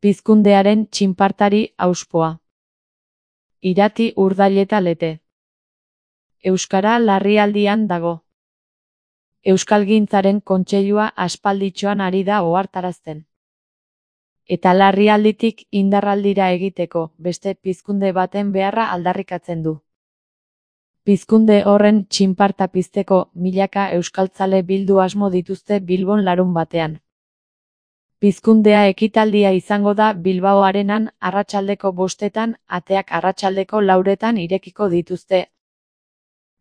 Pizkundearen txinpartari auspoa. Irati Urdaileta Lete. Euskara larrialdian dago. Euskalgintzaren kontseilua aspalditxoan ari da ohartarazten. Eta larrialditik indarraldira egiteko beste pizkunde baten beharra aldarrikatzen du. Pizkunde horren txinparta pizteko milaka euskaltzale bildu asmo dituzte Bilbon larunbatean. Pizkundea ekitaldia izango da Bilbao Arenan arratsaldeko 5etan, ateak arratsaldeko 4etan irekiko dituzte.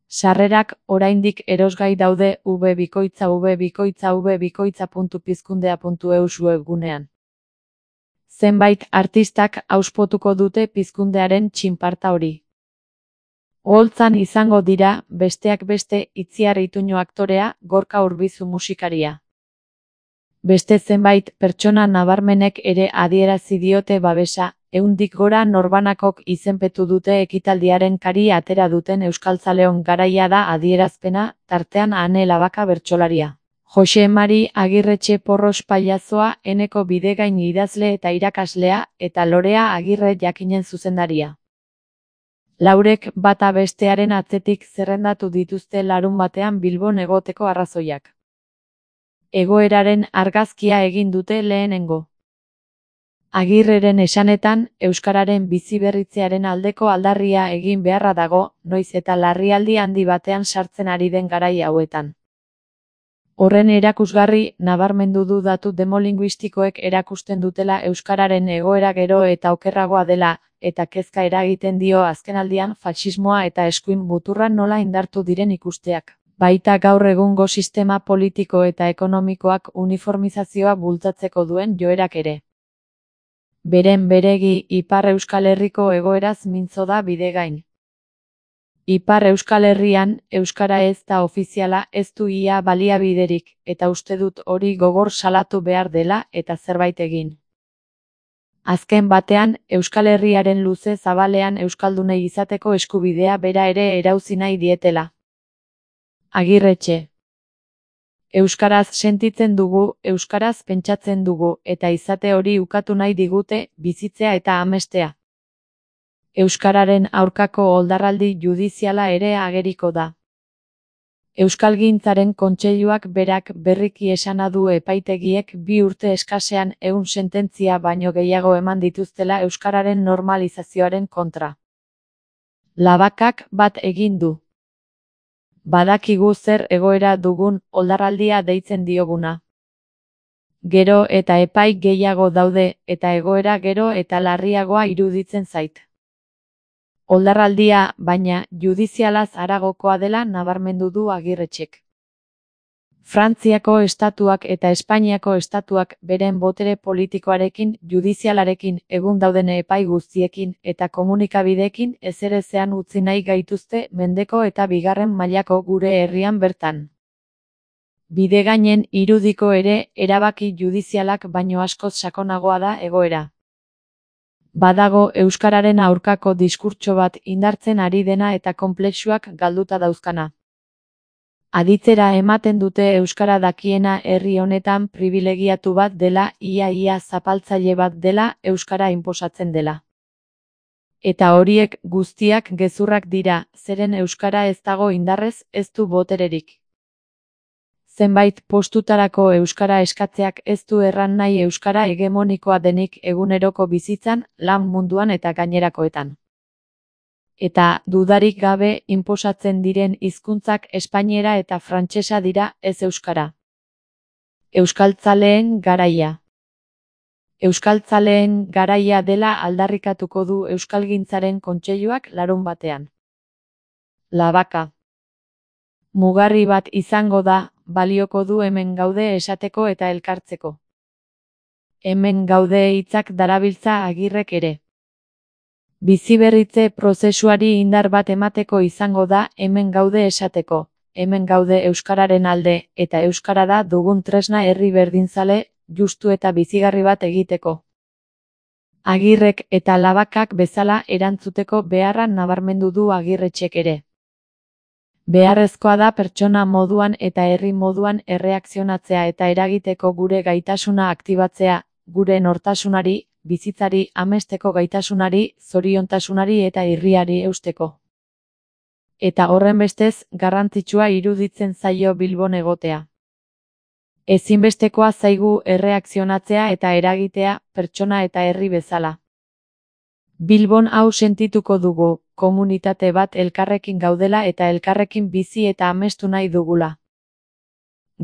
Sarrerak oraindik erosgai daude www.pizkundea.eus webgunean. Zenbait artistak auspotuko dute pizkundearen txinparta hori. Oholtzan izango dira, besteak beste, Itziar Ituño aktorea, Gorka Urbizu musikaria. Beste zenbait pertsona nabarmenek ere adierazi diote babesa, 100tik gora norbanakok izenpetu dute ekitaldiaren kari atera duten euskaltzaleon garaia da adierazpena, tartean Ane Labaka bertsolaria. Jose Mari Agirretxe Porros pailazoa, Eneko Bidegain idazle eta irakaslea, eta Lorea Agirre jakinen zuzendaria. Laurek bata bestearen atzetik zerrendatu dituzte larunbatean Bilbon egoteko arrazoiak. Egoeraren argazkia egin dute lehenengo. Agirreren esanetan, euskararen biziberritzearen aldeko aldarria egin beharra dago, noiz eta larrialdi handi batean sartzen ari den garai hauetan. Horren erakusgarri, nabarmendu du datu demolinguistikoek erakusten dutela euskararen egoera gero eta okerragoa dela, eta kezka eragiten dio azkenaldian faxismoa eta eskuin muturra nola indartu diren ikusteak. Baita gaur egungo sistema politiko eta ekonomikoak uniformizazioa bultzatzeko duen joerak ere. Beren beregi Ipar Euskal Herriko egoeraz mintzo da Bidegain. Ipar Euskal Herrian, euskara ez da ofiziala, ez du ia baliabiderik, eta uste dut hori gogor salatu behar dela eta zerbait egin. Azken batean, Euskal Herriaren luze zabalean euskaldunei izateko eskubidea bera ere erauzi nahi dietela. Agirretxe. Euskaraz sentitzen dugu, euskaraz pentsatzen dugu, eta izate hori ukatu nahi digute, bizitzea eta amestea. Euskararen aurkako oldarraldi judiziala ere ageriko da. Euskalgintzaren kontseiluak berak berriki esana du epaitegiek 2 urte eskasean 100 sententzia baino gehiago eman dituztela euskararen normalizazioaren kontra. Labakak bat egin du. Badakigu zer egoera dugun, oldarraldia deitzen dioguna. Gero eta epai gehiago daude, eta egoera gero eta larriagoa iruditzen zait. Oldarraldia, baina, judizialaz haragokoa dela nabarmendu du Agirretxek. Frantziako estatuak eta Espainiako estatuak beren botere politikoarekin, judizialarekin, egun dauden epai guztiekin eta komunikabideekin ezerezean utzi nahi gaituzte mendeko eta 2. mailako gure herrian bertan. Bidegainen irudiko ere, erabaki judizialak baino askoz sakonagoa da egoera. Badago euskararen aurkako diskurtso bat indartzen ari dena eta konplexuak galduta dauzkana. Aditzera ematen dute euskara dakiena herri honetan pribilegiatu bat dela, ia zapaltzaile bat dela, euskara inposatzen dela. Eta horiek guztiak gezurrak dira, zeren euskara ez dago indarrez, ez du botererik. Zenbait postutarako euskara eskatzeak ez du erran nahi euskara hegemonikoa denik eguneroko bizitzan, lan munduan eta gainerakoetan. Eta, dudarik gabe, inposatzen diren hizkuntzak espainiera eta frantsesa dira, ez euskara. Euskaltzaleen garaia. Euskaltzaleen garaia dela aldarrikatuko du Euskalgintzaren kontseiluak larunbatean. Labaka. Mugarri bat izango da, balioko du hemen gaude esateko eta elkartzeko. Hemen gaude hitzak darabiltza Agirrek ere. Biziberritze prozesuari indar bat emateko izango da hemen gaude esateko, hemen gaude euskararen alde, eta euskara da dugun tresna herri berdinzale, justu eta bizigarri bat egiteko. Agirrek eta Labakak bezala erantzuteko beharra nabarmendu du Agirretxek ere. Beharrezkoa da pertsona moduan eta herri moduan erreakzionatzea eta eragiteko gure gaitasuna aktibatzea, gure nortasunari, bizitzari, amesteko gaitasunari, zoriontasunari eta irriari eusteko. Eta horrenbestez, garrantzitsua iruditzen zaio Bilbon egotea. Ezinbestekoa zaigu erreakzionatzea eta eragitea, pertsona eta herri bezala. Bilbon hau sentituko dugu, komunitate bat elkarrekin gaudela eta elkarrekin bizi eta amestu nahi dugula.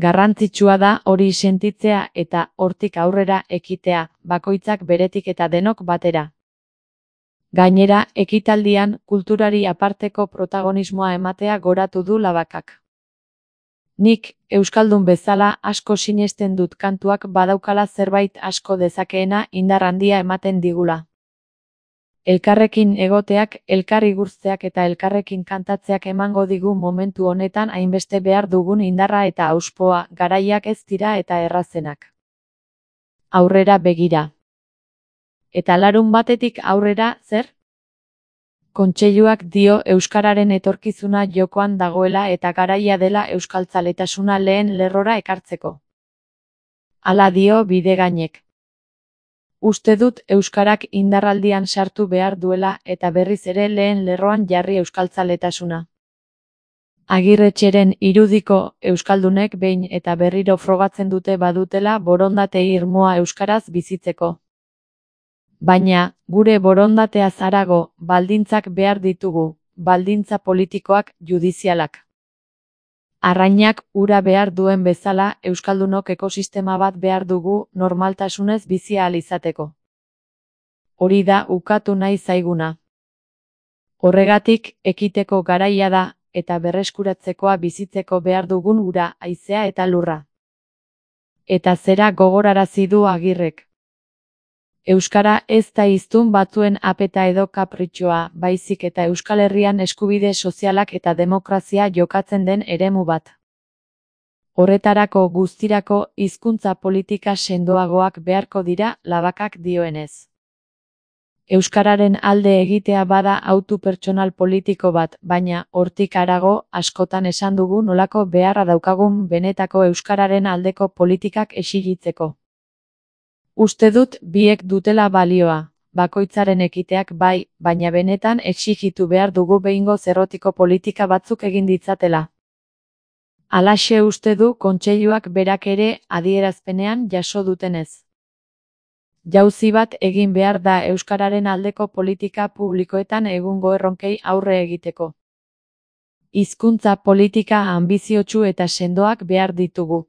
Garrantzitsua da hori sentitzea eta hortik aurrera ekitea, bakoitzak beretik eta denok batera. Gainera, ekitaldian, kulturari aparteko protagonismoa ematea goratu du Labakak. Nik, euskaldun bezala, asko sinesten dut kantuak badaukala zerbait asko dezakeena indar handia ematen digula. Elkarrekin egoteak, elkar igurtzeak eta elkarrekin kantatzeak emango digu momentu honetan hainbeste behar dugun indarra eta hauspoa, garaiak ez dira eta errazenak. Aurrera begira. Eta larunbatetik aurrera, zer? Kontseiluak dio euskararen etorkizuna jokoan dagoela eta garaia dela euskaltzaletasuna lehen lerrora ekartzeko. Hala dio Bidegainek. Uste dut euskarak indarraldian sartu behar duela eta berriz ere lehen lerroan jarri euskaltzaletasuna. Agirretxeren irudiko euskaldunek behin eta berriro frogatzen dute badutela borondate irmoa euskaraz bizitzeko. Baina, gure borondateaz harago, baldintzak behar ditugu, baldintza politikoak, judizialak. Arrainak ura behar duen bezala, euskaldunok ekosistema bat behar dugu normaltasunez bizi ahal izateko. Hori da ukatu nahi zaiguna. Horregatik, ekiteko garaia da, eta berreskuratzekoa bizitzeko behar dugun ura, haizea eta lurra. Eta zera gogorarazi du Agirrek. Euskara ez da hiztun batzuen apeta edo kapritxoa, baizik eta Euskal Herrian eskubide sozialak eta demokrazia jokatzen den eremu bat. Horretarako guztirako hizkuntza politika sendoagoak beharko dira, Labakak dioenez. Euskararen alde egitea bada hautu pertsonal politiko bat, baina hortik harago askotan esan dugu nolako beharra daukagun benetako euskararen aldeko politikak exigitzeko. Uste dut biek dutela balioa, bakoitzaren ekiteak bai, baina benetan exigitu behar dugu behingoz errotiko politika batzuk egin ditzatela. Halaxe uste du kontseiluak berak ere adierazpenean jaso dutenez. Jauzi bat egin behar da euskararen aldeko politika publikoetan egungo erronkei aurre egiteko. Hizkuntza politika anbiziotsu eta sendoak behar ditugu.